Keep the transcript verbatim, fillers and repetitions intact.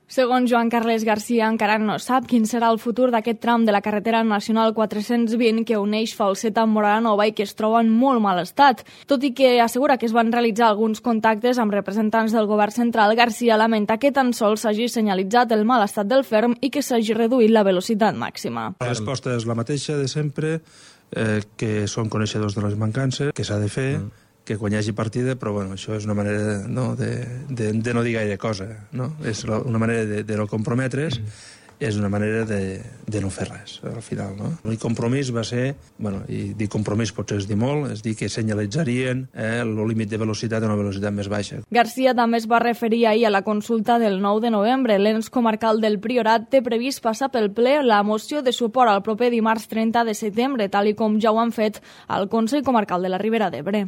Segons Joan Carles Garcia, encara no sap quin serà el futur d'aquest tram de la carretera nacional quatre-cents vint que uneix Falset amb Móra-la-Nova i que es troba en molt mal estat. Tot i que assegura que es van realitzar alguns contactes amb representants del govern central, Garcia lamenta que tan sols s'hagi senyalitzat el mal estat del ferm i que s'hagi reduït la velocitat màxima. La resposta és la mateixa de sempre, eh, que són coneixedors de les mancances, que s'ha de fer, mm. que quan hi hagi partida, però bueno, això és una manera no, de, de, de no dir gaire cosa, no? És una manera de, de no comprometre's, mm. és una manera de, de no fer res, al final, no? L'únic compromís va ser, bueno, i dir compromís potser és dir molt, és dir que senyalitzarien eh, el límit de velocitat a una velocitat més baixa. Garcia també es va referir ahir a la consulta del nou de novembre. L'ens comarcal del Priorat té previst passar pel ple la moció de suport al proper dimarts trenta de setembre, tal i com ja ho han fet al Consell Comarcal de la Ribera d'Ebre.